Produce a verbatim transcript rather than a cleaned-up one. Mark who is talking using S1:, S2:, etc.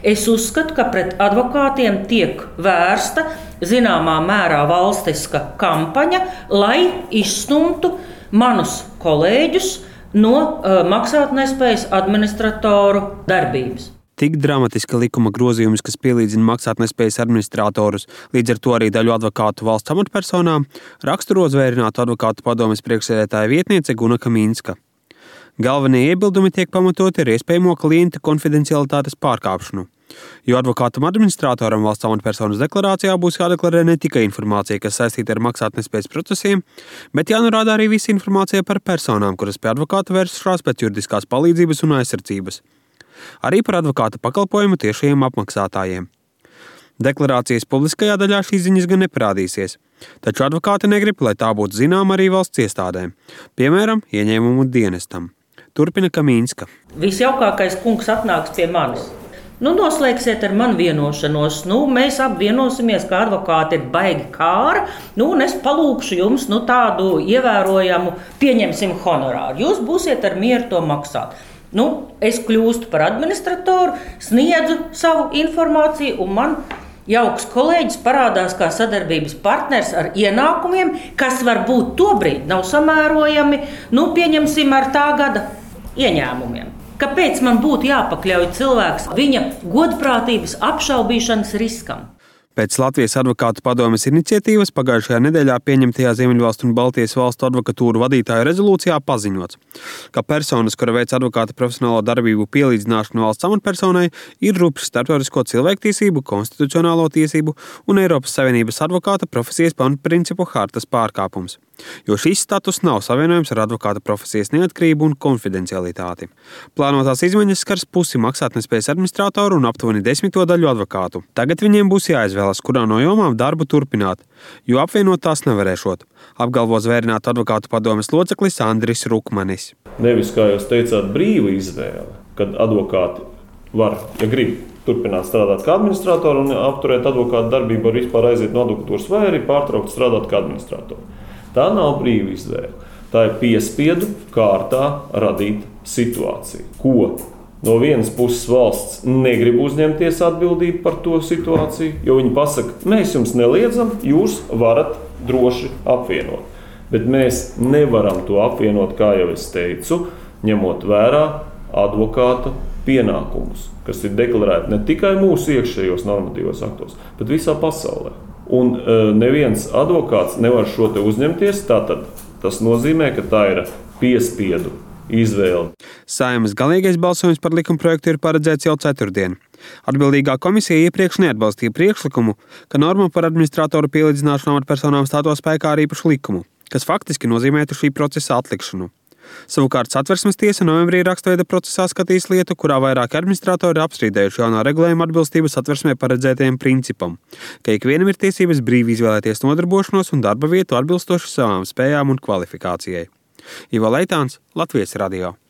S1: Es uzskatu, ka pret advokātiem tiek vērsta zināmā mērā valstiska kampaņa, lai izstumtu manus kolēģus no uh, maksātnespējas administratoru darbības.
S2: Tik dramatiska likuma grozījums, kas pielīdzina maksātnespējas administratorus, līdz ar to arī daļu advokātu valsts amatpersonām, raksturo Zvērinātu advokātu padomes priekšsēdētāja vietniece Guna Kamīnska. Galvenie iebildumi tiek pamatoti ar iespējamo klienta konfidencialitātes pārkāpšanu, jo advokātam administratoram valsts amatpersonas deklarācijā būs jādeklarē ne tikai informācija, kas saistīta ar maksātnespējas procesiem, bet jānorāda arī visa informācija par personām, kuras pie advokāta vēršas pēc juridiskās palīdzības un aizsardzības. Arī par advokāta pakalpojumu tiešajiem apmaksātājiem. Deklarācijas publiskajā daļā šīs ziņas gan neparādīsies, taču advokāti negrib, lai tā būtu zināma arī valsts iestādēm, piemēram, ieņēmumu dienestam. Turpina Kamīnska.
S1: Visjaukākais kungs atnāks pie manis. Nu, noslēgsiet ar mani vienošanos, nu, mēs apvienosimies, ka advokāti ir baigi kāra, nu, un es palūkšu jums nu, tādu ievērojamu, pieņemsim honorāru. Jūs būsiet ar mieru to maksāt. Nu, es kļūstu par administratoru, sniedzu savu informāciju, un man jauks kolēģis parādās kā sadarbības partners ar ienākumiem, kas varbūt tobrīd nav samērojami, nu, pieņemsim ar tā gada ieņēmumiem. Kāpēc man būtu jāpakļauj cilvēks viņa godprātības apšaubīšanas riskam?
S2: Pēc Latvijas advokātu padomes iniciatīvas pagājušajā nedēļā pieņemtajā Ziemeļvalstu un Baltijas valstu advokatūru vadītāju rezolūcijā paziņots, ka personas, kura veic advokāta profesionālo darbību pielīdzināšanu valsts amatpersonai, ir rupšs starptautisko cilvēktiesību, konstitucionālo tiesību un Eiropas Savienības advokāta profesijas pamatprincipu hartas pārkāpums, jo šis status nav savienojams ar advokāta profesijas neatkarību un konfidencialitāti. Plānotās izmaiņas skars pusi maksātnespējas administratoru un aptuveni desmito daļu advokātu. Tagad viņiem būs jāizvēlas, kurā no jomām darbu turpināt, jo apvienot tās nevarēšot, apgalvo Zvērinātu advokātu padomes loceklis Andris Rukmanis.
S3: Nevis, kā jūs teicāt, brīva izvēle, kad advokāti var, ja grib, turpināt strādāt kā administratori un apturēt advokātu darbību, var vispār aiziet no advokatūras vai arī pārtraukt strādāt kā administratori. Tā nav brīva izvēle. Tā ir piespiedu kārtā radīta situācija, ko no vienas puses valsts negrib uzņemties atbildību par to situāciju, jo viņi pasaka, mēs jums neliedzam, jūs varat droši apvienot. Bet mēs nevaram to apvienot, kā jau es teicu, ņemot vērā advokāta pienākumus, kas ir deklarēti ne tikai mūsu iekšējos normatīvos aktos, bet visā pasaulē. Un uh, neviens advokāts nevar šo te uzņemties, tātad tas nozīmē, ka tā ir piespiedu izvēle.
S2: Saeimas galīgais balsojums par likumprojektu ir paredzēts jau ceturtdien. Atbildīgā komisija iepriekš neatbalstīja priekšlikumu, ka norma par administratoru pielīdzināšanu amatpersonām stātos spēkā ar īpašu likumu, kas faktiski nozīmētu šī procesa atlikšanu. Savukārt Satversmes tiesa novembrī rakstveida procesā skatīs lietu, kurā vairāki administratori apstrīdējuši jaunā regulējuma atbilstību Satversmē paredzētajiem principam, ka ikvienam ir tiesības brīvi izvēlēties nodarbošanos un darba vietu atbilstoši savām spējām un kvalifikācijai. Ivo Leitāns, Latvijas radio.